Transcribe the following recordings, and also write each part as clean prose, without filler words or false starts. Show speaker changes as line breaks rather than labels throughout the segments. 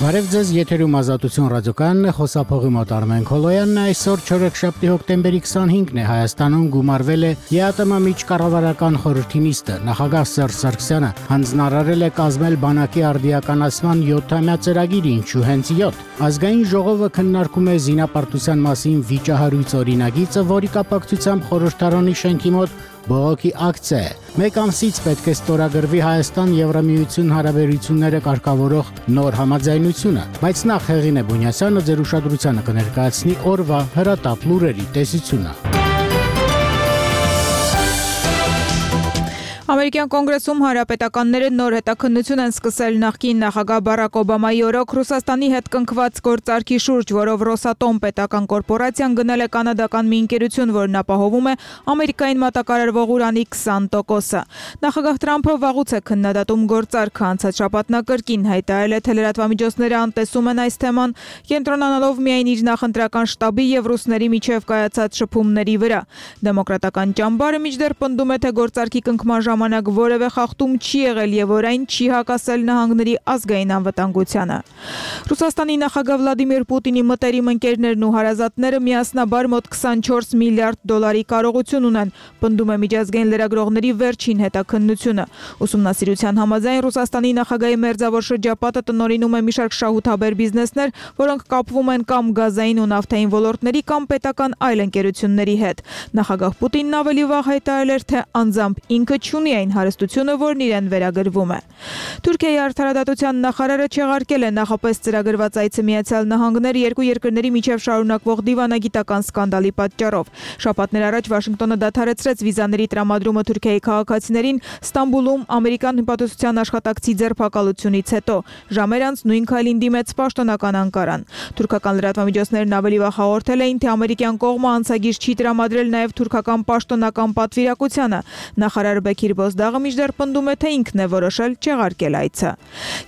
Բարև ձեզ, եթերում Ազատություն ռադիոկայանն է, խոսափողի մոտ Արմեն Քոլոյանն է, այսօր չորեքշաբթի հոկտեմբերի 25-ն է, Հայաստանում գումարվել է ԵԱՏՄ միջկառավարական խորհրդի նիստը, նախագահ Սերժ Սարգսյանը հանձնարարել է կազմել բանակի արդիականացման 7-ամյա ծրագիրը, ինչու հենց 7։ Ազգային ժողովը քննարկում է զինապարտության մասին վիճահարույց օրինագիծը, որի կապակցությամբ խորհրդարանի շենքի մոտ բողոքի ակցիա է։ Մեկ ամսից պետք է ստորագրվի Հայաստան-Եվրամիություն հարաբերությունները կարգավորող նոր համաձայնությունը, բայց նախ Հեղինե Բունյասյանը ձեր ուշադրությանը կներկայացնի օրվա հրատապ լուրերի տեսությունը։
Ամերիկյան կոնգրեսում հանրապետականները նոր հետաքննություն են սկսել նախկին նախագահ Բարակ Օբամայի օրոք Ռուսաստանի հետ կնքված գործարքի շուրջ, որով Ռոսատոմ պետական կորպորացիան գնել է կանադական մի ընկերություն, որն ապահովում է Ամերիկային մատակարարվող ուրանի 20%-ը։ Նախագահ Թրամփը վաղուց է քննադատում գործարքը, անցած շաբաթ նա կրկին հայտարարել է, թե լրատվամիջոցները անտեսում են այս թեման, կենտրոնանալով միայն իր նախընտրական շտաբի եւ ռուսների միջև կայացած շփումների վրա։ Դեմոկրատական ճամբարը մինչդեռ պնդում է, թե գործարքի կնքման ժամանակ որևէ խախտում չի եղել եւ որ այն չի հակասել նահանգների ազգային անվտանգությանը։ Ռուսաստանի նախագահ Վլադիմիր Պուտինի մտերիմ ընկերներն ու հարազատները միասնաբար մոտ 24 միլիարդ դոլարի կարողություն ունեն, պնդում է միջազգային լրագրողների վերջին հետաքննությունը։ Ուսումնասիրության համաձայն Ռուսաստանի նախագահի մերձավոր շրջապատը տնօրինում է մի շարք շահութաբեր բիզնեսներ, որոնք կապվում են կամ գազային ու նավթային ոլորտների կամ պետական այլ ընկերությունների հետ։ Նախագահ Պուտինն ավելի վաղ հայտարարել էր, թե անձամբ ինքը չունի այն հարստությունը, որն իրեն վերագրվում է։ Թուրքիայի արդարադատության նախարարը չեղարկել է նախապես ծրագրված այցը Միացյալ Նահանգներ երկու երկրների միջև շարունակվող դիվանագիտական սկանդալի պատճառով։ Շաբաթներ առաջ Վաշինգտոնը դադարեցրեց վիզաների տրամադրումը Թուրքիայի քաղաքացիներին Ստամբուլում ամերիկյան հպատոսության աշխատակցի ձերբակալությունից հետո։ Ժամեր անց նույն քայլին դիմեց պաշտոնական Անկարան։ Թուրքական լրատվամիջոցներն ավելի վաղ հաղորդել էին, թե ամերիկյան կողմը անցագիր չի տրամադրել նաև թուրքական պաշտոնական պատվիրակությանը։ Նախարար Բեքիր Բոզդաղը մինչդեռ պնդում է, թե ինքն է որոշել չեղարկել այցը։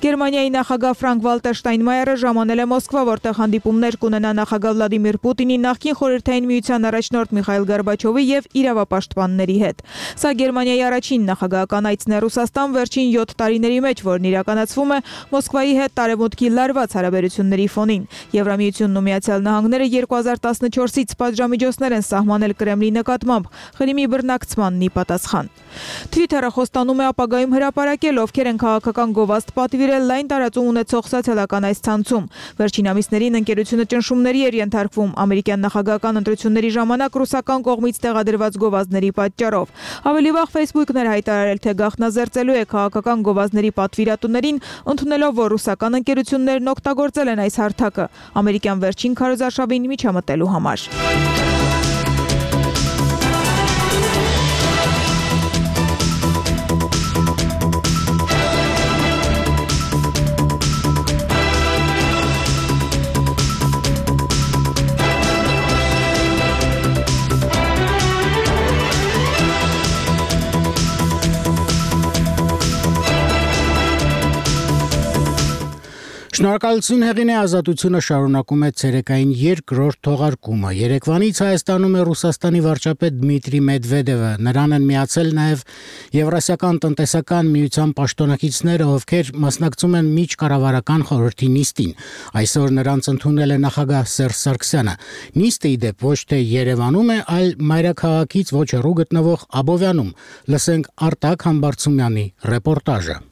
Գերմանիայի նախագահ Ֆրանկ Վալտեր Շտայնմայերը ժամանել է Մոսկվա, որտեղ հանդիպումներ կունենա նախագահ Վլադիմիր Պուտինի, նախկին խորհրդային միության առաջնորդ Միխայիլ Գորբաչովի եւ իրավապաշտպանների հետ։ Սա Գերմանիայի առաջին նախագահական այցն է Ռուսաստան վերջին 7 տարիների մեջ, որն իրականացվում է Մոսկվայի հետ տարեվուտքի լարված հարաբերությունների ֆոնին։ Եվրամիությունն ու Միացյալ Նահանգները 2014-ից պատժամիջոցներ են սահմանել Կրեմլի նկատմամբ Ղրիմի բռնակցմանն ի պատասխան։ Twitter-ը խոստանում է ապագայում հրապարակել, ովքեր են քաղաքական գովազդ պատվիրել լայն տարածում ունեցող սոցիալական այս ցանցում։ Վերջին ամիսներին ընկերությունը ճնշումների էր ենթարկվում ամերիկյան նախագահական ընտրությունների ժամանակ ռուսական կողմից տեղադրված գովազդների պատճառով։ Ավելի վաղ Facebook-ն էր հայտարարել, թե գաղտնազերծելու է քաղաքական գովազդների պատվիրատուներին, ընդունելով, որ ռուսական ընկերություններն օգտագործել են այս հարթակը ամերիկյան վերջին քարոզարշավին միջամտելու համար։
Շնորհակալություն Հեղինե, Ազատությունը շարունակում է ցերեկային երկրորդ թողարկումը։ Երեկվանից Հայաստանում է Ռուսաստանի վարչապետ Դմիտրի Մեդվեդևը, նրան են միացել նաև Եվրասիական տնտեսական միության պաշտոնակիցները, ովքեր մասնակցում են միջկառավարական խորհրդի նիստին։ Այսօր նրանց ընդունել է նախագահ Սերժ Սարգսյանը։ Նիստը ի դեպ ոչ թե Երևանում է, այլ մայրաքաղաքից ոչ հեռու գտնվող Աբովյանում։ Լսենք Արտակ Համբարձումյանի ռեպորտաժը։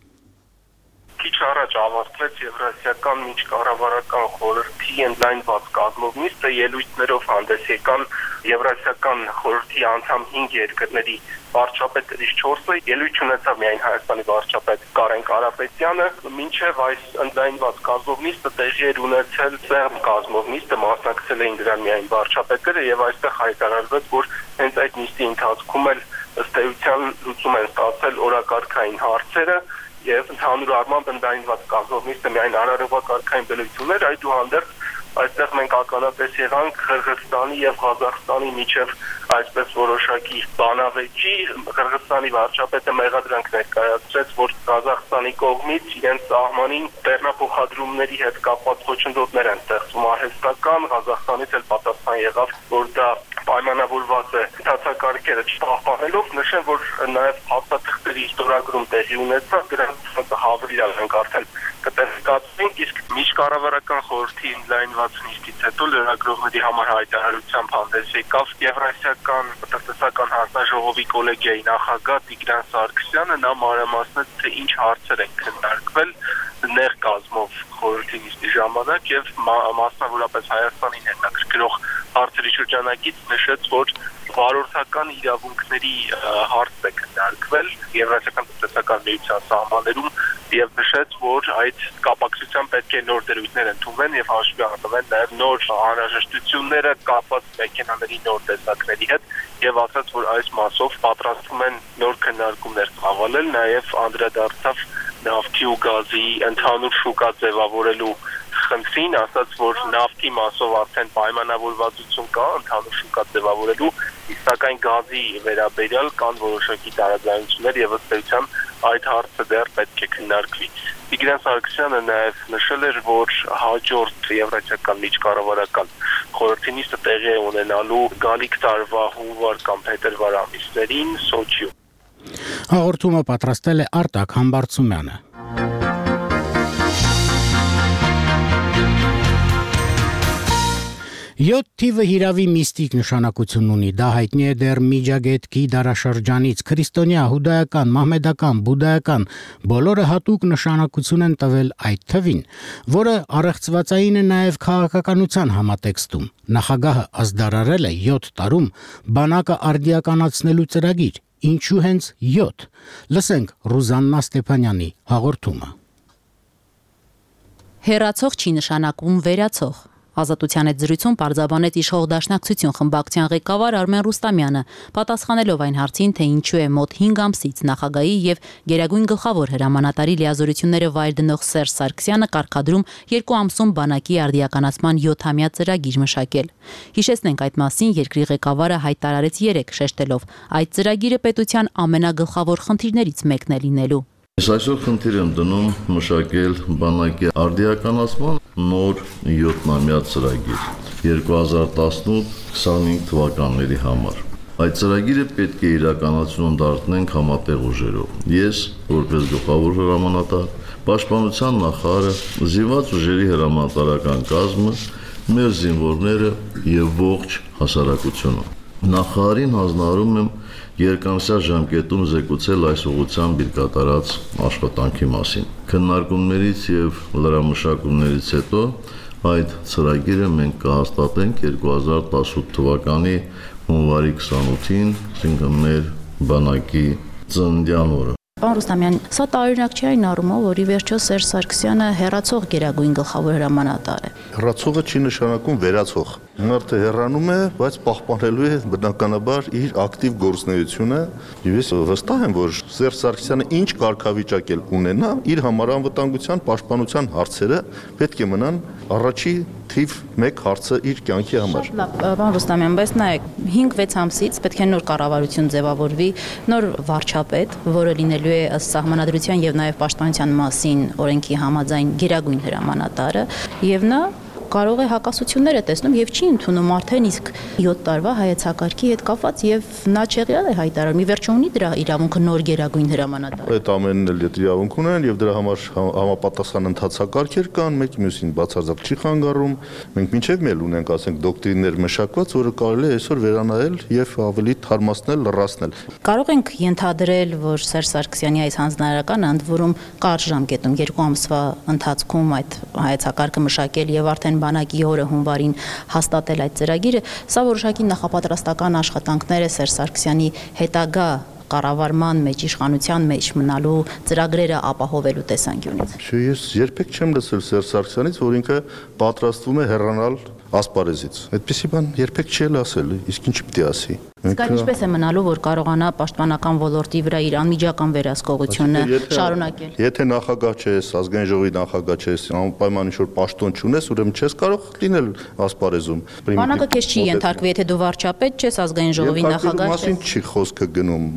Քիչ առաջ ավարտվեց Եվրասիական միջկառավարական խորհրդի ընդլայնված կազմով նիստը, ելույթներով հանդես եկան Եվրասիական խորհրդի անդամ 5 երկրների վարչապետերից 4-ը, ելույթ ունեցավ միայն Հայաստանի վարչապետ Կարեն Կարապետյանը, մինչև այս ընդլայնված կազմով նիստը տեղի էր ունեցել սեղմ կազմով նիստը, մասնակցել էին դրան միայն վարչապետերը եւ այստեղ հայտարարվեց, որ հենց այդ նիստի ընթացքում էլ ըստ էության լուծում են ստացել օրակարգային հարցերը եւ ընդհանուր առմամբ ընդլայնված կազմով նիստը միայն արարողակարգային բնույթներ, այդուհանդերձ այստեղ մենք ականատես եղանք Ղրղըզստանի եւ Ղազախստանի միջև այսպես որոշակի բանավեճի։ Ղրղըզստանի վարչապետը մեղադրանք ներկայացրեց, որ Ղազախստանի կողմից իրենց սահմանին բեռնափոխադրումների հետ կապված խոչընդոտներ են ստեղծում արհեստական, Ղազախստանից էլ պատասխան եղավ, որ դա պայմանավորված է դասակարգերը չպահպանելով, նշեմ, որ նաև հաստատությունների ստորագրում տեղի ունեցավ, դրանց հավելյալ ենք արդեն կտեսկացվենք, իսկ միջկառավարական խորհրդի ընդլայնված նիստից հետո լրագրողների համար հայտարարությամբ հանդես եկավ Եվրասիական տնտեսական հանձնաժողովի կոլեգիայի նախագահ Տիգրան Սարգսյանը, նա մանրամասնեց, թե ինչ հարցեր են քննարկվել նեղ կազմով խորհրդի նիստի ժամանակ եւ մասնավորապես Հայաստանին հետաքրքրող հարցերի շրջանակից նշեց, որ վարորդական իրավունքների հարցն է քննարկվել Եվրասիական տնտեսական միության սահմաններում եւ նշեց, որ այդ կապակցությամբ պետք է նոր դերույթներ ընդունվեն եւ հաշվի առնվեն նաեւ նոր անհրաժեշտությունները կապված մեքենաների նոր տեսակների հետ եւ ասաց, որ այս մասով պատրաստվում են նոր քննարկումներ ծավալել, նաեւ անդրադարձավ նավթի ու գազի ընդհանուր շուկա ձևավորելու խնդրին, ասաց, որ նավթի մասով արդեն պայմանավորվածություն կա ընդհանուր շուկա ձևավորելու, սակայն գազի վերաբերյալ կան որոշակի տարաձայնություններ եւ ըստ էության այդ հարցը դեռ պետք է քննարկվի։ Տիգրան Սարգսյանը նաեւ նշել էր, որ հաջորդ Եվրասիական միջկառավարական խորհրդի նիստը տեղի է ունենալու գալիք տարվա հունվար կամ փետրվար ամիսներին Սոչիում։
Հաղորդումը պատրաստել է Արտակ Համբարձումյանը։ 7 թիվը հիրավի միստիկ նշանակություն ունի, դա հայտնի է դեռ Միջագետքի դարաշրջանից, քրիստոնյա, հուդայական, մահմեդական, բուդայական, բոլորը հատուկ նշանակություն են տվել այդ թվին, որը առեղծվածային է նաև քաղաքականության համատեքստում։ Նախագահը ազդարարել է 7 տարում բանակը արդիականացնելու ծրագիր, ինչու հենց 7։ Լսենք Ռուզաննա Ստեփանյանի հաղորդումը։
Հեռացող չի նշանակում վերացող։ Ազատության հետ զրույցում պարզաբանեց իշխող դաշնակցություն խմբակցության ղեկավար Արմեն Ռուստամյանը, պատասխանելով այն հարցին, թե ինչու է մոտ 5 ամսից նախագահի եւ Գերագույն գլխավոր հրամանատարի լիազորությունները վայր դնող Սերժ Սարգսյանը կարգադրում 2 ամսում բանակի արդիականացման 7-ամյա ծրագիր մշակել։ Հիշեցնենք այդ մասին երկրի ղեկավարը հայտարարեց 3 շեշտելով. այդ ծրագիրը պետության ամենագլխավոր խնդիրներից մեկն է լինելու։
Այսօր խնդիր եմ դնում մշակել բանակի արդիականացման նոր 7-ամյա ծրագիր 2018-25 թվականների համար։ Այդ ծրագիրը պետք է իրականացում դարձնենք համատեղ ուժերով։ Ես, որպես գլխավոր հրամանատար, պաշտպանության նախարարը, զինված ուժերի հրամանատարական կազմը, մեր զինվորները եւ ողջ հասարակությունը։ Նախարարին հանձնարարում եմ երկամսյա ժամկետում զեկուցել այս ուղղությամբ իր կատարած աշխատանքի մասին։ Քննարկումներից եւ լրամշակումներից հետո այդ ծրագիրը մենք կհաստատենք 2018 թվականի հունվարի 28-ին, այսինքն մեր բանակի ծննդյան օրը։
Պարոն Ռուստամյան, սա տարօրինակ չի այն առումով, որ ի վերջո Սերժ Սարգսյանը հեռացող Գերագույն գլխավոր հրամանատար է։
Հեռացողը չի նշանակում վերացող։ Մարդը հեռանում է, բայց պահպանելու է բնականաբար իր ակտիվ գործունեությունը։ Ես վստահ եմ, որ Սերժ Սարգսյանը ինչ կարգավիճակ էլ ունենա, իր համար անվտանգության պաշտպանության հարցերը պետք է մնան առաջի թիվ 1 հարցը իր կյանքի համար։
Պարոն Ռուստամյան, բայց նայեք, 5-6 ամսից պետք է նոր կառավարություն ձևավորվի, նոր վարչապետ, որը լինելու է ըստ սահմանադրության եւ նաեւ պաշտպանության մասին օրենքի համաձայն Գերագույն հրամանատարը, եւ նա կարող է հակասություններ է տեսնում եւ չի ընդունում արդեն իսկ 7 տարվա հայեցակարգի հետ կապված եւ նա չեղյալ է հայտարարում։ Ի վերջո ունի դրա իրավունքը նոր Գերագույն հրամանատար։
Այդ ամենն էլ իրավունք ունեն եւ դրա համար համապատասխան ընթացակարգեր կան, մեկի մյուսին բացարձակ չի խանգարում։ Մենք մինչեւ մել ունենք, ասենք, դոկտրիններ մշակված, որը կարելի է այսօր վերանայել եւ ավելի թարմացնել, լրացնել։
Կարող ենք ենթադրել, որ Սերժ Սարգսյանի այս հանձնարարականը ընդ որում կարճ ժամկետում 2 ամսվա ընթացքում այդ հայեցակարգը մշակել եւ արդեն բանակի օրը հունվարին հաստատել այդ ծրագիրը, սա որոշակի նախապատրաստական աշխատանքներ է Սերժ Սարգսյանի հետագա կառավարման մեջ, իշխանության մեջ մնալու ծրագրերը ապահովելու տեսանկյունից։
Ես երբեք չեմ լսել Սերժ Սարգսյանից, որ ինքը պատրաստվում է հեռանալ ասպարեզից։ Այդպիսի բան երբեք չի ասել, իսկ ինչ պիտի ասի։
Իսկ ինչպես է մնալու, որ կարողանա պաշտպանական ոլորտի վրա իր անմիջական վերահսկողությունը շարունակել։
Եթե նախագահ չես, ազգային ժողովի նախագահ չես, անպայման ինչ-որ պաշտոն չունես, ուրեմն չես կարող լինել ասպարեզում։
Բանակը քեզ չի ենթարկվի, եթե դու վարչապետ չես, ազգային ժողովի նախագահ չես։
Մասին չի խոսքը գնում։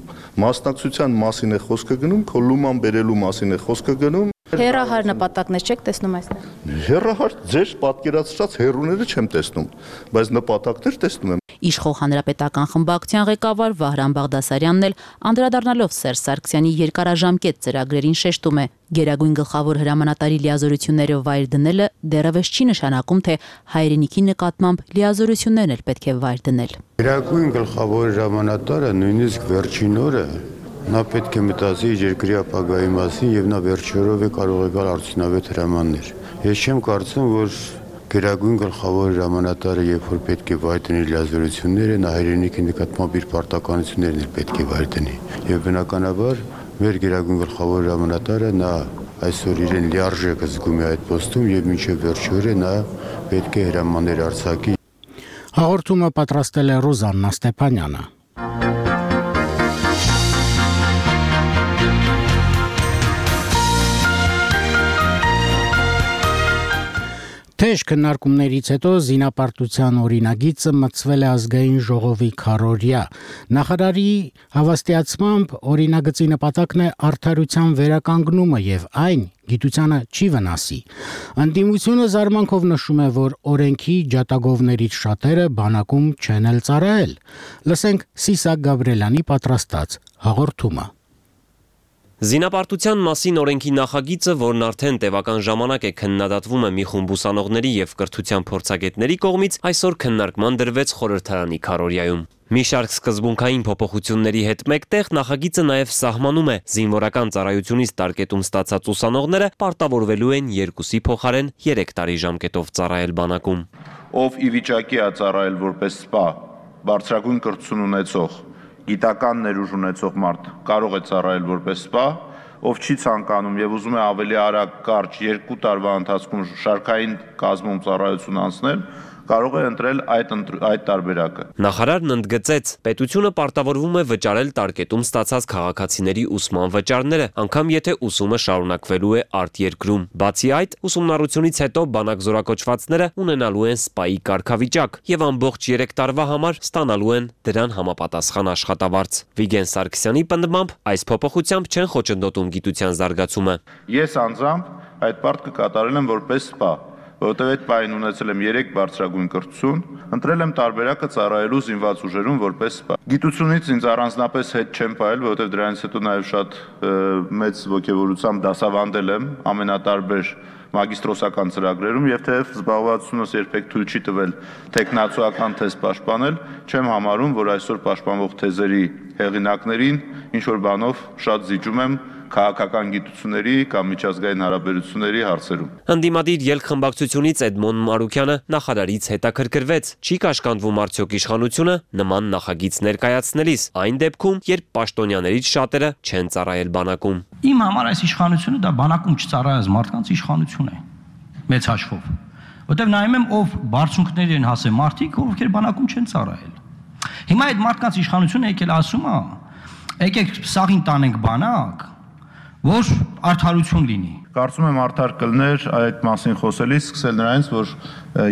Մասնակցության մասին է խոսքը գնում, քո լուման բերելու մասին է խոսքը գնում։
Հեռահար նպատակներ չեք տեսնում այստեղ։
Հեռահար ձեր պատկերացրած հեռուները չեմ տեսնում, բայց նպատակներ տեսնում եմ։
Իշխող հանրապետական խմբակցության ղեկավար Վահրամ Բաղդասարյանն էլ անդրադառնալով Սերժ Սարգսյանի երկարաժամկետ ծրագրերին շեշտում է. Գերագույն գլխավոր հրամանատարի լիազորություններով վայր դնելը դեռևս չի նշանակում, թե հայրենիքի նկատմամբ լիազորություններն էլ պետք է վայր դնել։
Գերագույն գլխավոր հրամանատարը նույնիսկ վերջին օրը նա պետք է մտածի երկրի ապագայի մասին եւ նա վերջի օրով է կարող է գալ արդյունավետ հրամաններ։ Ես չեմ կարծում, որ Գերագույն գլխավոր հրամանատարը երբ որ պետք է վայր դնի լիազորությունները, նա հայրենիքի նկատմամբ իր պարտականություններն էլ պետք է վայր դնի։ Եվ բնականաբար մեր Գերագույն գլխավոր հրամանատարը նա այսօր իրեն լիարժեք զգում է այդ պոստում եւ մինչեւ վերջի օրը նա պետք է հրամաններ արձակի։
Հաղորդումը պատրաստել է Ռոզաննա Ստեփանյանը։ Թեժ քննարկումներից հետո զինապարտության օրինագիծը մտցվել է ազգային ժողովի քառօրյա։ Նախարարի հավաստիացմամբ օրինագծի նպատակն է արդարության վերականգնումը եւ այն գիտությանը չի վնասի։ Անդիմությունը զարմանքով նշում է, որ օրենքի ջատագովներից շատերը բանակում չեն էլ ծառայել։ Լսենք Սիսակ Գաբրելյանի պատրաստած հաղորդումը։
Զինապարտության մասին օրենքի նախագիծը, որն արդեն տևական ժամանակ է քննադատվում է մի խումբ ուսանողների եւ կրթության փորձագետների կողմից, այսօր քննարկման դրվեց խորհրդարանի քառօրյայում։ Մի շարք սկզբունքային փոփոխությունների հետ մեկտեղ նախագիծը նաեւ սահմանում է զինվորական ծառայությունից տարկետում ստացած ուսանողները պարտավորվելու են 2-ի փոխարեն 3 տարի ժամկետով ծառայել բանակում։
Ով ի վիճակի է ծառայել որպես սպա, բարձրագույն կրթություն ունեցող գիտական ներուժ ունեցող մարդ կարող է ծառայել որպես սպա, ով չի ցանկանում եւ ուզում է ավելի արագ կարճ 2 տարվա ընթացքում շարքային կազմում ծառայություն անցնել, կարող է ընտրել այդ տարբերակը։ Նախարարն ընդգծեց, պետությունը պարտավորվում է վճարել տարկետում ստացած քաղաքացիների ուսման վճարները, անգամ եթե ուսումը շարունակվելու է արտերկրում։ Բացի այդ, ուսումնառությունից հետո բանակ զորակոչվածները ունենալու են սպայի կարգավիճակ եւ ամբողջ 3 տարվա համար ստանալու են դրան համապատասխան աշխատավարձ։ Վիգեն Սարգսյանի պնդմամբ, այս փոփոխությամբ չեն խոչընդոտում գիտության զարգացումը։ Ես անձամբ այդ պարտքը կատարել եմ որպես սպա, որովհետև այդ պահին ունեցել եմ 3 բարձրագույն կրթություն, ընտրել եմ տարբերակը ծառայելու զինված ուժերում որպես սպա։ Գիտությունից ինձ առանձնապես հետ չեմ պահել, որովհետև դրանից հետո նաև շատ մեծ ոգևորությամբ դասավանդել եմ ամենատարբեր մագիստրոսական ծրագրերում եւ թեև զբաղվածությունս երբեք թույլ չի տվել տեխնացուական թեզ պաշտպանել, չեմ համարում, որ այսօր պաշտպանվող թեզերի հեղինակներին ինչ որ բանով շատ զիջում եմ քաղաքական գիտությունների կամ միջազգային հարաբերությունների հարցերում։ Ընդդիմադիր ելք-խմբակցությունից Էդմոն Մարուկյանը նախարարից հետաքրքրվեց, չի կաշկանդվում արդյոք իշխանությունը նման նախագիծ ներկայացնելիս, այն դեպքում, երբ պաշտոնյաներից շատերը չեն ծառայել բանակում։
Իմ համար այս իշխանությունը դա բանակում չծառայած մարդկանց իշխանություն է, մեծ հաշվով, որտեղ նայում եմ ով բարձունքների են հասել մարդիկ, ովքեր բանակում չեն ծառայել։ Հիմա այդ մարդկանց իշխանությունը եկել ասում է, եկեք սաղին տանենք բանակ, որ արդարություն լինի։ Կարծում եմ արդար կլներ այդ մասին խոսելիս սկսել նրանից, որ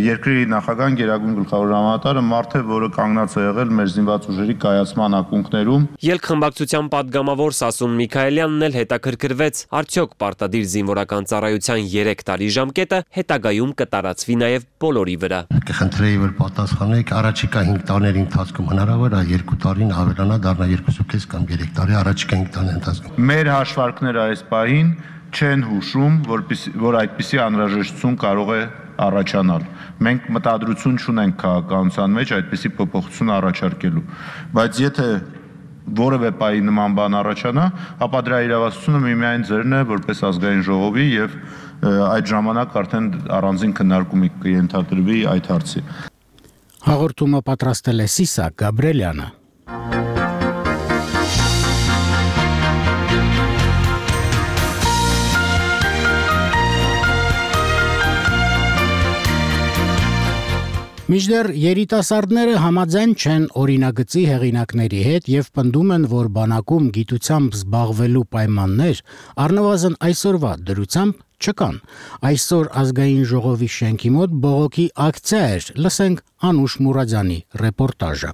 երկրի նախագահան Գերագույն գլխավոր հրամանատարը մարդ է, որը կանգնած է եղել մեր զինված ուժերի կայացման ակունքներում։ Ելք-խմբակցության падգամավոր Սասուն Միքայելյանն էլ հետաքրքրվեց, արդյոք պարտադիր զինվորական ծառայության 3 տարի ժամկետը հետագայում կտարածվի նաև բոլորի վրա։
Կխնդրեի, որ պատասխանեք, առաջիկա 5 տարիների ընթացքում հնարավոր է 2 տարին ավելանա, դառնա 2.5 կամ 3 տարի առաջիկա 5 տարիների ընթացքում։ Մեր հաշվարկները այս պահին չեն հուշում, որ այդպիսի անհրաժեշտություն կարող է առաջանալ։ Մենք մտադրություն չունենք քաղաքականության մեջ այդպիսի փոփոխություն առաջարկելու, բայց եթե որևէ պահի նման բան առաջանա, ապա դրա իրավասությունը միմիայն ձերն է որպես ազգային ժողովի եւ այդ ժամանակ արդեն առանձին քննարկումի կենթադրվի այդ հարցի։
Հաղորդումը պատրաստել է Սիսակ Գաբրելյանը։ Մինչդեռ երիտասարդները համաձայն չեն օրինագծի հեղինակների հետ եւ պնդում են, որ բանակում գիտությամբ զբաղվելու պայմաններ առնվազն այսօրվա դրությամբ չկան։ Այսօր ազգային ժողովի շենքի մոտ բողոքի ակցիա էր, լսենք Անուշ Մուրադյանի ռեպորտաժը։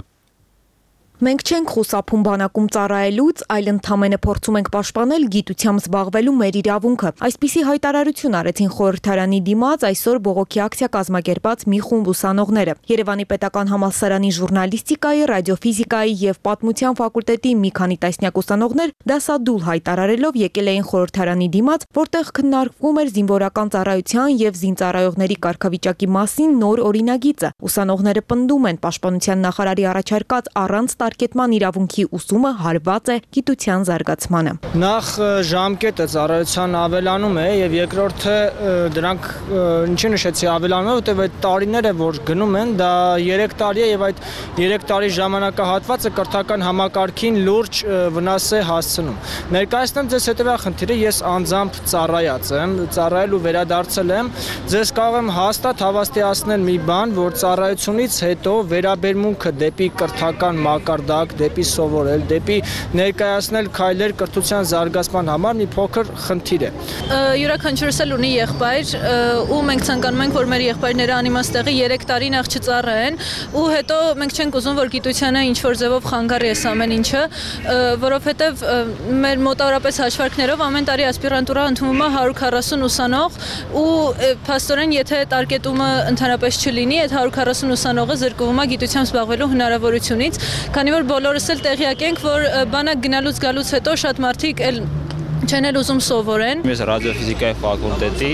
Մենք չենք խուսափում բանակում ծառայելուց, այլ ընդամենը փորձում ենք պաշտպանել գիտությամբ զբաղվելու մեր իրավունքը։ Այսպիսի հայտարարություն արեցին խորհրդարանի դիմաց այսօր բողոքի ակցիա կազմակերպած մի խումբ ուսանողները։ Երևանի պետական համալսարանի ժուրնալիստիկայի, ռադիոֆիզիկայի եւ պատմության ֆակուլտետի մի քանի տասնյակ ուսանողներ դասադուլ հայտարարելով եկել էին խորհրդարանի դիմաց, որտեղ քննարկվում էր զինվորական ծառայության եւ զինծառայողների կարգավիճակի մասին նոր օրինագիծը։ Ուսանողները պնդում են պաշտպանության նախարարի առաջարկած առանց տարկետման իրավունքի ուսումը հարված է գիտության զարգացմանը։
Նախ ժամկետը ծառայության ավելանում է եւ երկրորդը դրանք ինչի նշեցի ավելանում է, որտեղ այդ տարիները որ գնում են, դա 3 տարի է եւ այդ 3 տարի ժամանակահատվածը կրթական համակարգին լուրջ վնաս է հասցնում։ Ներկայացնեմ ձեզ հետեւյալ խնդիրը, ես անձամբ ծառայած եմ, ծառայել ու վերադարձել եմ, ձեզ կարող եմ հաստատ հավաստիացնել մի բան, որ ծառայությունից հետո վերաբերմունքը դեպի կրթական մակարդակ, դեպի սովորել, դեպի ներկայացնել քայլեր կրթության զարգացման համար մի փոքր խնդիր է։
Յուրաքանչյուրս էլ ունի եղբայր, ու մենք ցանկանում ենք, որ մեր եղբայրները անիմաստեղի 3 տարի նախ չծառայեն, ու հետո մենք չենք ուզում, որ գիտությանը ինչ որ ձևով խանգարի այս ամեն ինչը, որովհետև մեր մոտավորապես հաշվարկներով ամեն տարի ասպիրանտուրա ընդունվում է 140 ուսանող, ու փաստորեն եթե տարկետումը ընդհանրապես չլինի, այդ 140 ուսանողը զրկվում է գիտությամբ զբաղվելու հնարավորությունից, քանի որ բոլորս էլ տեղյակ ենք, որ բանակ գնալուց գալուց հետո շատ մարդիկ էլ չեն էլ ուզում սովորեն։
Ես ռադիոֆիզիկայի ֆակուլտետի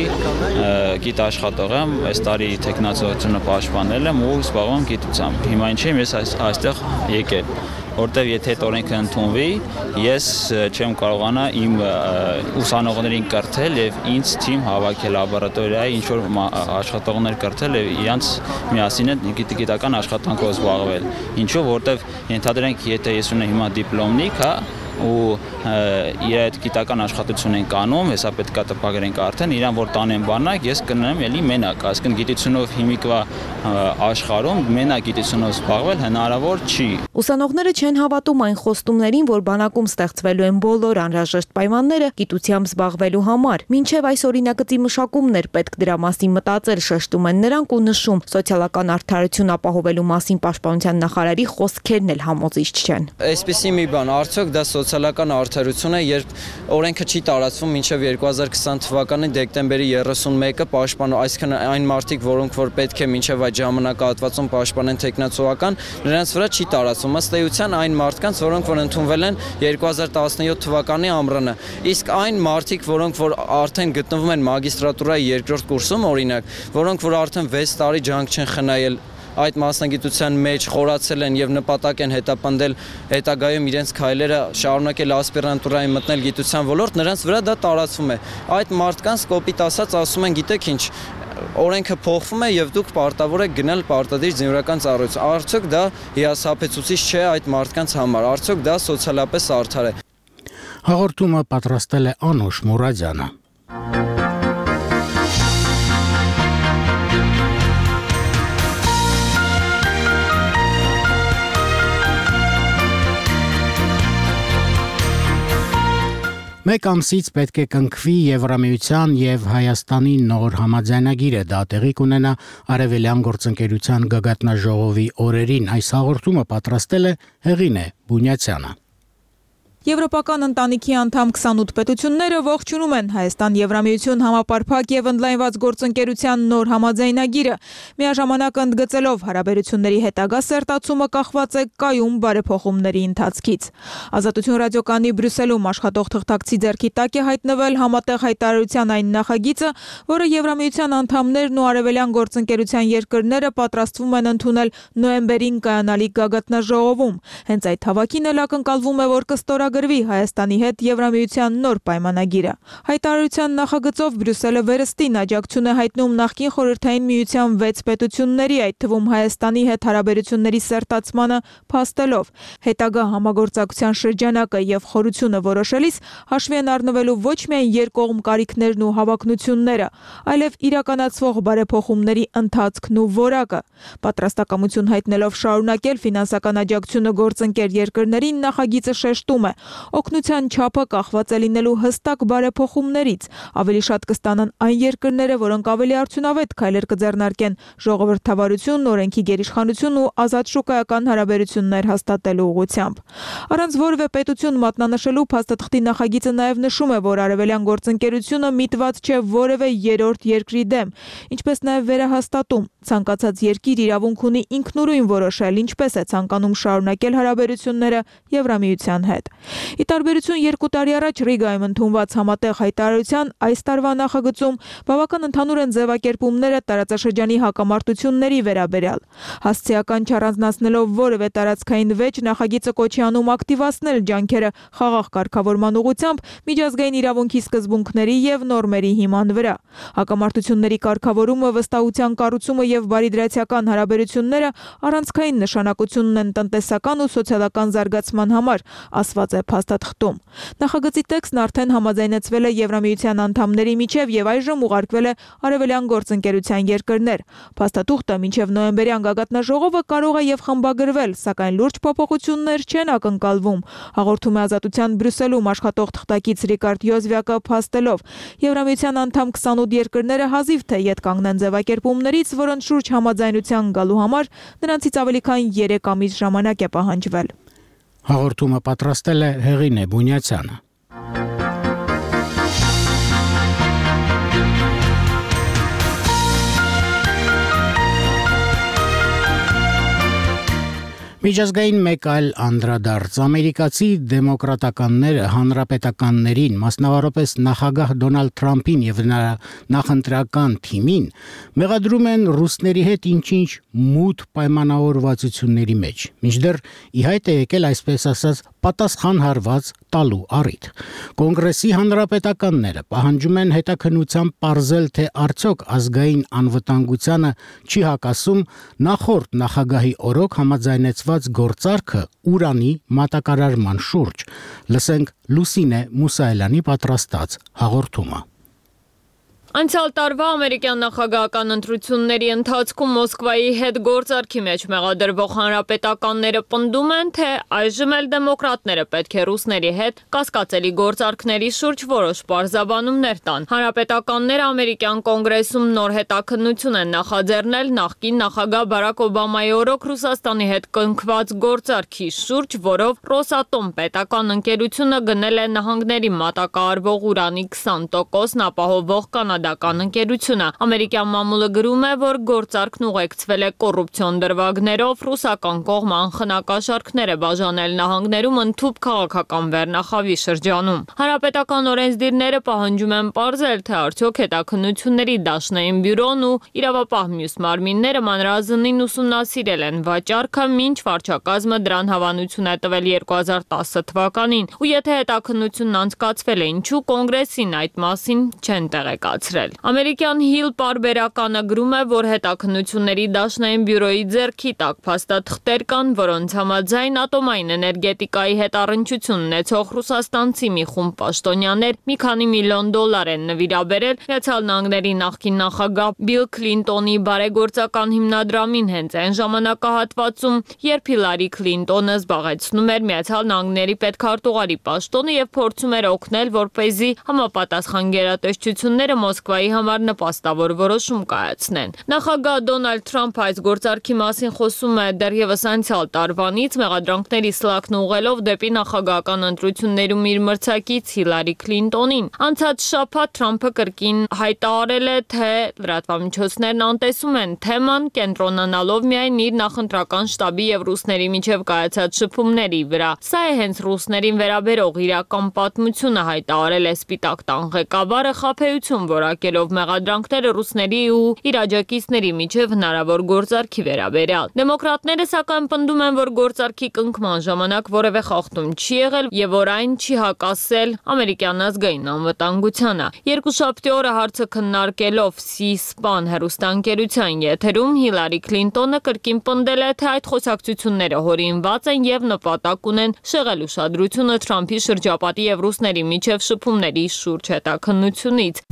գիտաշխատող եմ, այս տարի տեխնացիությունը պաշտպանել եմ ու զբաղվում եմ գիտությամբ։ Հիմա ինչ եմ ես այստեղ եկել, որտեվ եթե այդ օրենքը ընդունվի, ես չեմ կարողանա իմ ուսանողներին կրթել եւ ինձ թիմ հավաքել լաբորատորիայի ինչ որ աշխատողներ կրթել եւ իրանց միասին գիտական աշխատանքով զբաղվել։ Ինչու, որտեվ ենթադրենք, եթե ես ունեմ հիմա դիպլոմնիկ, հա, ու իր այդ գիտական աշխատություն են կանում, հեսա պետքա տպագրենք արդեն, իրան որ տանեն բանակ, ես կնեմ էլի մենակ, այսինքն գիտությունով հիմիկվա աշխարհում մենակ գիտությունով զբաղվել հնարավոր չի։
Ուսանողները չեն հավատում այն խոստումներին, որ բանակում ստեղծվելու են բոլոր անհրաժեշտ պայմանները գիտությամբ զբաղվելու համար։ Մինչև այս օրինագծի մշակումն էր պետք դրա մասին մտածել, շեշտում են նրանք ու նշում, սոցիալական արդարություն ապահովելու մասին պաշտպանության նախարարի խոսքերն էլ համոզիչ չեն։
Այսպիսի մի բան, արդյոք դա սոցիալական արդարություն է, երբ օրենքը չի տարածվում մինչև 2020 թվականի դեկտեմբերի 31-ը պաշտպանող, այսինքն այն մարդիկ, որոնք որ պետք է մինչև այդ ժամանակահատվածում պաշտպանեն տեխնացուական, նրանց վրա չի տարածվում, ըստ էության այն մարդկանց, որոնք որ ընդունվել են 2017 թվականի ամռանը։ Իսկ այն մարդիկ, որոնք որ արդեն գտնվում են մագիստրատուրայի 2-րդ կուրսում, օրինակ, որոնք որ արդեն 6 տարի ջանք չեն խնայել այդ մասնագիտության մեջ խորացել են եւ նպատակ են հետապնդել հետագայում իրենց քայլերը շարունակել ասպիրանտուրայի մտնել գիտության ոլորտ, նրանց վրա դա տարածվում է։ Այդ մարդկանց կոպիտ ասած ասում են, գիտեք ինչ, օրենքը փոխվում է եւ դուք պարտավոր եք գնալ պարտադիր զինվորական ծառայություն։ Արդյոք դա հիասթափեցուցիչ չէ այդ մարդկանց համար։ Արդյոք դա սոցիալապես արդար է։
Հաղորդումը պատրաստել է Անուշ Մուրադյանը։ Մեկ ամսից պետք է կնքվի Եվրամիության եւ Հայաստանի նոր համաձայնագիրը, դա տեղի կունենա Արևելյան գործընկերության գագաթնաժողովի օրերին։ Այս հաղորդումը պատրաստել է Հեղինե Բունյացյանը։
Եվրոպական ընտանիքի անդամ 28 պետությունները ողջունում են Հայաստան-Եվրամիություն համապարփակ եւ ընդլայնված գործընկերության նոր համաձայնագիրը, միաժամանակ ընդգծելով հարաբերությունների հետագա սերտացումը կախված է կայուն բարեփոխումների ընթացքից։ Ազատություն ռադիոկայանի Բրյուսելում աշխատող թղթակցի ձեռքի տակ է հայտնվել համատեղ հայտարարության այն նախագիծը, որը Եվրամիության անդամներն ու Արևելյան գործընկերության երկրները պատրաստվում են ընդունել նոյեմբերին կայանալիք գագաթնաժողովում։ Հենց այդ հավաքին էլ ակնկալվում է, որ կստորագրվի Հայաստանի հետ Եվրամիության նոր պայմանագիրը։ Հայտարարության նախագծով Բրյուսելը վերստին աջակցություն է հայտնում նախկին խորհրդային միության 6 պետությունների, այդ թվում Հայաստանի հետ հարաբերությունների սերտացմանը փաստելով։ Հետագա համագործակցության շրջանակը եւ խորությունը որոշելիս հաշվի են առնվելու ոչ միայն երկկողմ կարիքներն ու հավակնությունները, այլև իրականացվող բարեփոխումների ընթացքն ու որակը։ Պատրաստակամություն հայտնելով շարունակել ֆինանսական աջակցությունը գործընկեր երկրներին, նախագիծը շեշտում է, Օգնության չափը կախված է լինելու հստակ բարեփոխումներից, ավելի շատ կստանան այն երկրները, որոնք ավելի արդյունավետ քայլեր կձեռնարկեն ժողովրդավարություն, օրենքի գերիշխանություն ու ազատ շուկայական հարաբերություններ հաստատելու ուղղությամբ։ Առանց որևէ պետություն մատնանշելու փաստաթղթի նախագիծը նաև նշում է, որ արևելյան գործընկերությունը միտված չէ որևէ երրորդ երկրի դեմ, ինչպես նաև վերահաստատում ցանկացած երկիր իրավունք ունի ինքնուրույն որոշել, ինչպես է ցանկանում շարունակել հարաբերությունները Եվրամիության հետ։ Ի տարբերություն 2 տարի առաջ Ռիգայում ընդունված համատեղ հայտարարության, այս տարվա նախագծում բավական ընդհանուր են ձևակերպումները տարածաշրջանի հակամարտությունների վերաբերյալ։ Հասցեական չառանձնացնելով որևէ տարածքային վեճ, նախագիծը կոչի անում ակտիվացնել ջանքերը խաղաղ կարգավորման ուղղությամբ միջազգային իրավունքի սկզբունքների եւ նորմերի հիման վրա։ Հակամարտությունների կարգավորումը, վստահության կառուցումը եւ բարիդրացիական հարաբերությունները առանցքային նշանակություն ունեն տնտեսական ու սոցիալական զարգացման համար, ասված է փաստաթղթում։ Նախագծի տեքստն արդեն համաձայնեցվել է Եվրամիության անդամների միջև եւ այժմ ուղարկվել է Արևելյան գործընկերության երկրներ։ Փաստաթուղթը մինչև նոյեմբերյան գագաթնաժողովը կարող է եւ խմբագրվել, սակայն լուրջ փոփոխություններ չեն ակնկալվում, հաղորդում է Ազատության Բրյուսելում աշխատող թղթակից Ռիկարդ Յոզվյակը փաստելով։ Եվրամիության անդամ 28 երկրները հազիվ թե ետ կանգնեն ձևակերպումներից, որոնց շուրջ համաձայնության գալու համար նրանցից ավելի քան 3 ամիս ժամանակ է պահանջվել։
Հաղորդումը պատրաստել է Հեղինե Բունյացյանը։ Միջազգային մեկ այլ անդրադարձ ամերիկացի դեմոկրատականները հանրապետականներին, մասնավորապես նախագահ Դոնալդ Թրամփին եւ նրա նախընտրական թիմին մեղադրում են ռուսների հետ ինչ-ինչ մութ պայմանավորվածությունների մեջ։ Մինչդեռ ի հայտ է եկել այսպես ասած պատասխան հարված տալու առիթ։ Կոնգրեսի հանրապետականները պահանջում են հետաքննությամբ պարզել, թե արդյոք ազգային անվտանգությանը չի հակասում նախորդ նախագահի օրոք համաձայնեցված գործարքը ուրանի մատակարարման շուրջ։ Լսենք Լուսինե Մուսայելյանի պատրաստած հաղորդումը։
Անցյալ տարվա ամերիկյան նախագահական ընտրությունների ընթացքում Մոսկվայի հետ գործարքի մեջ մեղադրվող հանրապետականները պնդում են, թե այժմ էլ դեմոկրատները պետք է ռուսների հետ կասկածելի գործարքների շուրջ որոշ պարզաբանումներ տան։ Հանրապետականները ամերիկյան կոնգրեսում նոր հետաքննություն են նախաձեռնել նախկին նախագահ Բարակ Օբամայի օրոք Ռուսաստանի հետ կնքված գործարքի շուրջ, որով Ռոսատոմ պետական ընկերությունը գնել է նահանգների մատակարարվող ուրանի 20%-ն ապահովող կանադական ընկերությունը։ Ամերիկյան մամուլը գրում է, որ գործարքն ուղեկցվել է կոռուպցիոն դրվագներով, ռուսական կողմը անխնակաշարքներ է բաժանել նահանգներում ընդհուպ քաղաքական վերնախավի շրջանում։ Հանրապետական օրենսդիրները պահանջում են պարզել, թե արդյոք հետաքննությունների դաշնային բյուրոն ու իրավապահ մյուս մարմինները մանրազնին ուսումնասիրել են վաճառքը, մինչ վարչակազմը դրան հավանություն է տվել 2010 թվականին, ու եթե հետաքննությունն անցկացվել է, ինչու կոնգրեսին այդ մասին չեն տեղեկացրել։ Ամերիկյան Hill պարբերականը գրում է, որ հետաքննությունների դաշնային բյուրոյի ձեռքի տակ փաստաթղթեր կան, որոնց համաձայն ատոմային էներգետիկայի հետ առնչություն ունեցող ռուսաստանցի մի խումբ պաշտոնյաներ մի քանի միլիոն դոլար են նվիրաբերել Միացյալ Նահանգների նախկին նախագահ Բիլ Քլինտոնի բարեգործական հիմնադրամին հենց այն ժամանակահատվածում, երբ Հիլարի Քլինտոնը զբաղեցնում էր Միացյալ Նահանգների պետքարտուղարի պաշտոնը եւ փորձում էր օգնել, որպեսզի համապատասխան գերատեսչությունները Մոսկվայի համար նպաստավոր որոշում կայացնեն։ Նախագահ Դոնալդ Թրամփը այս գործարքի մասին խոսում է դեռևս անցյալ տարվանից, մեղադրանքների սլաքն ուղղելով դեպի նախագահական ընտրություններում իր մրցակից Հիլարի Քլինտոնին։ Անցած շաբաթ Թրամփը կրկին հայտարարել է, թե լրատվամիջոցներն անտեսում են թեման, կենտրոնանալով միայն իր նախընտրական շտաբի եւ ռուսների միջև կայացած շփումների վրա։ Սա է հենց ռուսներին վերաբերող իրական պատմությունը, հայտարարել է Սպիտակ տան ղեկավարը, խաբեություն որակելով մեղադրանքները ռուսների ու իր աջակիցների միջև հնարավոր գործարքի վերաբերյալ։ Դեմոկրատները սակայն պնդում են, որ գործարքի կնքման ժամանակ որևէ խախտում չի եղել եւ որ այն չի հակասել ամերիկյան ազգային անվտանգությանը։ Երկուշաբթի օրը հարցը քննարկելով C-SPAN հեռուստաընկերության եթերում Հիլարի Քլինտոնը կրկին պնդել է, թե այդ խոսակցությունները հորինված են եւ նպատակ ունեն շեղել ուշադրությունը Թրամփի շրջապատի եւ ռուսների միջև շփումների շուրջ հետաքննությունից։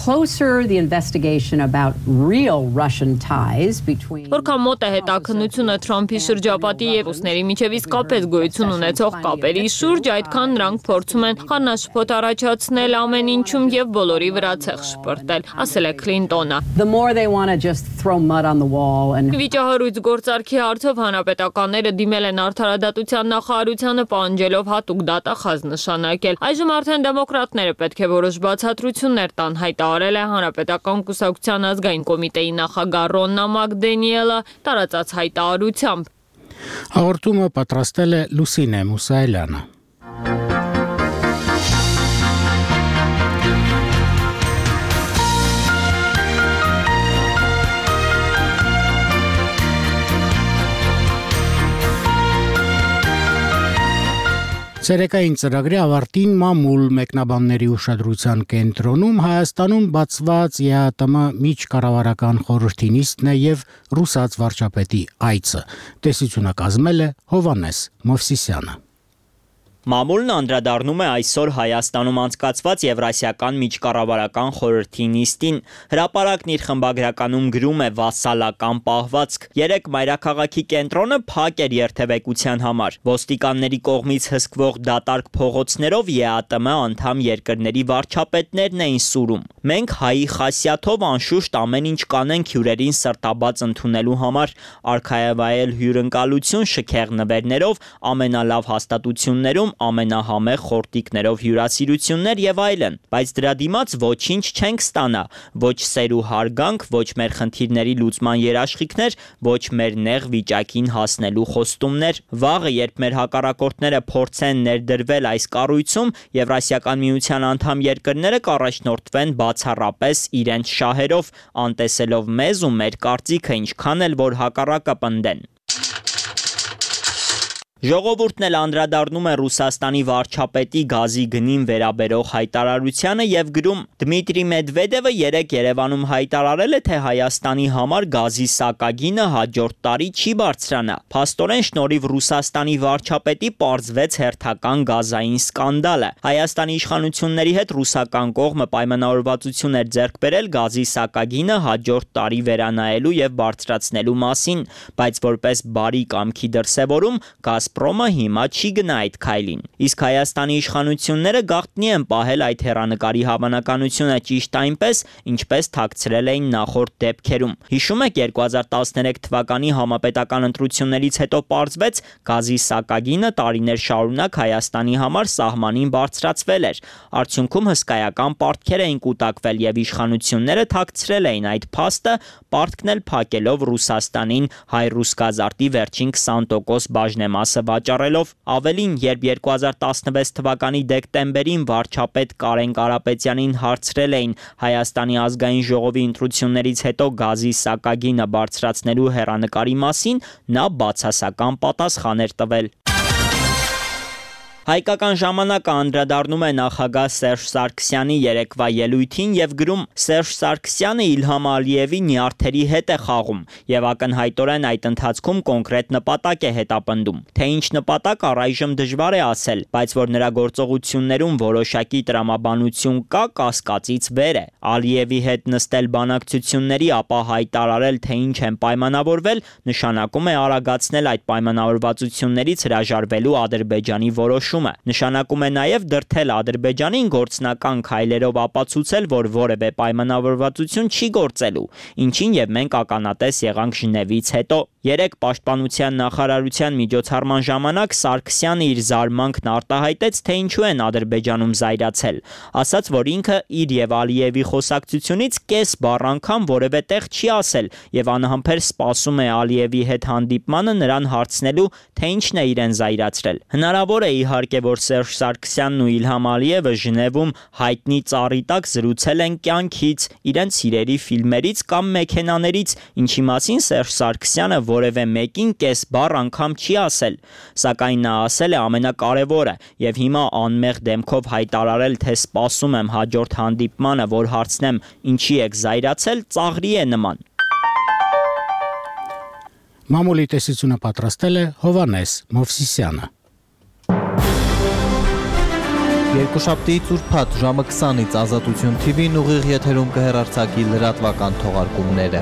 closer the investigation about real Russian ties between
Որքան մոտ է հետաքննությունը Թրամփի շրջապատի եւ ռուսների միջև իսկապես գոյություն ունեցող կապերի շուրջ, այդքան նրանք փորձում են խառնաշփոթ առաջացնել ամեն ինչում եւ բոլորի վրա ցեղ շպրտել, ասել է Քլինտոնը։
The more they want to just throw mud on the wall and
Վիճահարույց գործարքի հարցով հանրապետականները դիմել են արդարադատության նախարարությանը պահանջելով հատուկ դատախազ նշանակել։ Այժմ արդեն դեմոկրատները պետք է որոշ բացատրություններ տան, հայտարարել է Հանրապետական կուսակցության ազգային կոմիտեի նախագահ Ռոննա Մակդենիելը տարածած հայտարարությամբ։
Հաղորդումը պատրաստել է Լուսինե Մուսայելյանը։ Ցերեկային ծրագրի ավարտին մամուլ մեկնաբանների ուշադրության կենտրոնում Հայաստանում բացված ԵԱՏՄ միջկառավարական խորհրդի նիստն է եւ ռուսաց վարչապետի այցը։ Տեսությունը կազմել է Հովանես Մովսիսյանը։
Մամուլն անդրադառնում է այսօր Հայաստանում անցկացված Եվրասիական միջկառավարական խորհրդի նիստին։ Հրապարակն իր խմբագրականում գրում է վասալական պահվածք։ Երեք մայրաքաղաքի կենտրոնը փակ էր երթևեկության համար։ Ոստիկանների կողմից հսկվող դատարկ փողոցներով ԵԱՏՄ անդամ երկրների վարչապետներն էին սուրում։ Մենք հայի խասյաթով անշուշտ ամեն ինչ կանենք հյուրերին սրտաբաց ընդունելու համար, արքայավայել հյուրընկալություն շքեղ նվերներով, ամենալավ հաստատություններում ամենահամեղ խորտիկներով հյուրասիրություններ եւ այլն, բայց դրա դիմաց ոչինչ չենք ստանա, ոչ սեր ու հարգանք, ոչ մեր խնդիրների լուծման երաշխիքներ, ոչ մեր նեղ վիճակին հասնելու խոստումներ։ Վաղը, երբ մեր հակառակորդները փորձեն ներդրվել այս կառույցում, Եվրասիական միության անդամ երկրները կառաջնորդվեն բացառապես իրենց շահերով, անտեսելով մեզ ու մեր կարծիքը, ինչքան էլ որ հակառակը պնդեն։ Ժողովուրդն էլ անդրադառնում է Ռուսաստանի վարչապետի գազի գնին վերաբերող հայտարարությանը եւ գրում. Դմիտրի Մեդվեդևը երեկ Երևանում հայտարարել է, թե Հայաստանի համար գազի սակագինը հաջորդ տարի չի բարձրանա։ Փաստորեն շնորհիվ Ռուսաստանի վարչապետի պարզվեց հերթական գազային սկանդալը։ Հայաստանի իշխանությունների հետ ռուսական կողմը պայմանավորվածություն էր ձեռք բերել գազի սակագինը հաջորդ տարի վերանայելու եւ բարձրացնելու մասին, բայց որպես բարի կամքի դրսեւորում Գազպրոմը հիմա չի գնա այդ քայլին։ Իսկ Հայաստանի իշխանությունները գաղտնի են պահել այդ հեռանկարի հավանականությունը ճիշտ այնպես, ինչպես թաքցրել էին նախորդ դեպքերում։ Հիշում եք 2013 թվականի համապետական ընտրություններից հետո պարզվեց գազի սակագինը տարիներ շարունակ Հայաստանի համար սահմանին բարձրացվել էր։ Արդյունքում հսկայական պարտքեր էին կուտակվել եւ իշխանությունները թաքցրել էին այդ փաստը, պարտքն էլ փակելով Ռուսաստանին հայ-ռուս գազարտի վերջին 20% բաժնեմասը վաճառելով։ Ավելին, երբ 2016 թվականի դեկտեմբերին վարչապետ Կարեն Կարապետյանին հարցրել էին Հայաստանի ազգային ժողովի ընտրություններից հետո գազի սակագինը բարձրացնելու հեռանկարի մասին, նա բացասական պատասխան էր տվել։ Հայկական ժամանակը անդրադառնում է նախագահ Սերժ Սարգսյանի երեկվա ելույթին եւ գրում. Սերժ Սարգսյանը Իլհամ Ալիևի նյարդերի հետ է խաղում եւ ակնհայտորեն այդ ընթացքում կոնկրետ նպատակ է հետապնդում։ Թե ինչ նպատակ առայժմ դժվար է ասել, բայց որ նրա գործողություններում որոշակի տրամաբանություն կա, կասկածից վեր է։ Ալիևի հետ նստել բանակցությունների, ապա հայտարարել, թե ինչ են պայմանավորվել, նշանակում է արագացնել այդ պայմանավորվածություններից հրաժարվելու Ադրբեջանի որոշումը։ Նշանակում է նաև դրդել Ադրբեջանին գործնական քայլերով ապացուցել, որ որևէ պայմանավորվածություն չի գործելու, ինչին եւ մենք ականատես եղանք Ժնևից հետո։ Երեք պաշտպանության նախարարության միջոցառման ժամանակ Սարգսյանը իր զարմանքն արտահայտեց, թե ինչու են Ադրբեջանում զայրացել, ասաց, որ ինքը իր եւ Ալիևի խոսակցությունից կես բառ անգամ որևէ տեղ չի ասել եւ անհամբեր սպասում է Ալիևի հետ հանդիպմանը նրան հարցնելու, թե ինչն է իրեն զայրացրել։ Հնարավոր է իհարկե, որ Սերժ Սարգսյանն ու Իլհամ Ալիևը Ժնևում հայտնի ծառի տակ զրուցել են կյանքից, իրենց սիրելի ֆիլմերից կամ մեքենաներից, ինչի մասին Սերժ Սարգսյանը որևէ մեկին կես բառ անգամ չի ասել, սակայն նա ասել է ամենակարևորը եւ հիմա անմեղ դեմքով հայտարարել, թե սպասում եմ հաջորդ հանդիպմանը, որ հարցնեմ ինչի եք զայրացել, ծաղրի է նման։
Մամուլի տեսությունը պատրաստել է Հովանես Մովսիսյանը։
Երկուշաբթիից ուրբաթ ժամը 20-ից Ազատություն TV-ն ուղիղ եթերում կհեռարձակի լրատվական թողարկումները։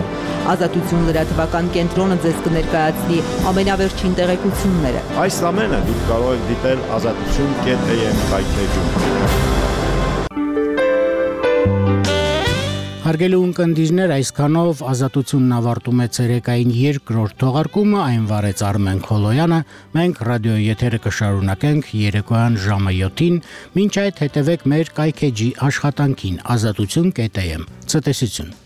Ազատություն լրատվական կենտրոնը ձեզ կներկայացնի ամենավերջին տեղեկությունները։
Այս ամենը դուք կարող եք դիտել azatutun.am հայտնեջում։
Հարգելի ունկնդիրներ, այսքանով Ազատությունն ավարտում է ցերեկային երկրորդ թողարկումը, այն վարեց Արմեն Քոլոյանը, մենք ռադիոյի եթերը կշարունակենք երեկոյան ժամը 7-ին, մինչ այդ հետևեք մեր կայքեջի աշխատանքին azatutun.am։ Ցտեսություն։